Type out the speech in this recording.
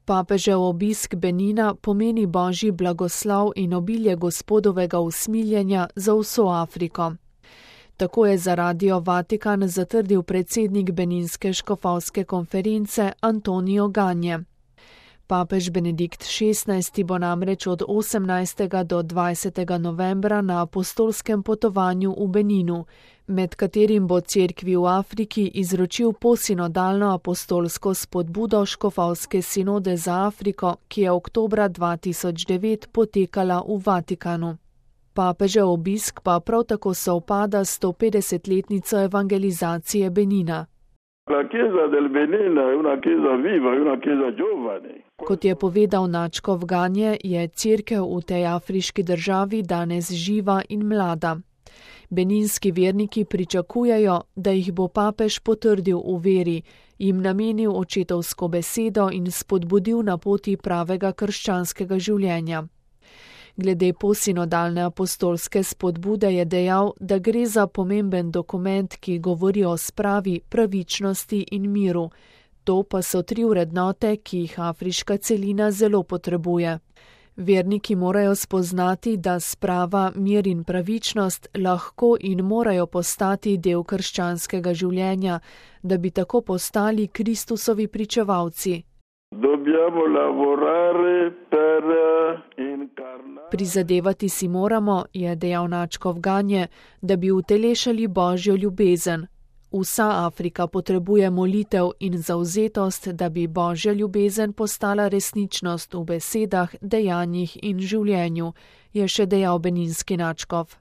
Papežev obisk Benina pomeni božji blagoslov in obilje Gospodovega usmiljenja za vso Afriko. Tako je za Radio Vatikan zatrdil predsednik Beninske škofovske konference Antonio Ganje. Papež Benedikt XVI bo namreč od 18. do 20. novembra na apostolskem potovanju v Beninu, med katerim bo cerkvi v Afriki izročil posinodalno apostolsko spodbudo škofovske sinode za Afriko, ki je oktobra 2009 potekala v Vatikanu. Papežev obisk pa prav tako sovpada s 150-letnico evangelizacije Benina. Kot je povedal nadškof Ganje, je cerkev v tej afriški državi danes živa in mlada. Beninski verniki pričakujejo, da jih bo papež potrdil v veri, jim namenil očetovsko besedo in spodbudil na poti pravega krščanskega življenja. Glede posinodalne apostolske spodbude je dejal, da gre za pomemben dokument, ki govori o spravi, pravičnosti in miru. To pa so 3 vrednote, ki jih afriška celina zelo potrebuje. Verniki morajo spoznati, da sprava, mir in pravičnost lahko in morajo postati del krščanskega življenja, da bi tako postali Kristusovi pričevalci. Prizadevati si moramo, je dejal nadškof Ganje, da bi utelešali božjo ljubezen. Vsa Afrika potrebuje molitev in zavzetost, da bi božja ljubezen postala resničnost v besedah, dejanjih in življenju, je še dejal beninski nadškof.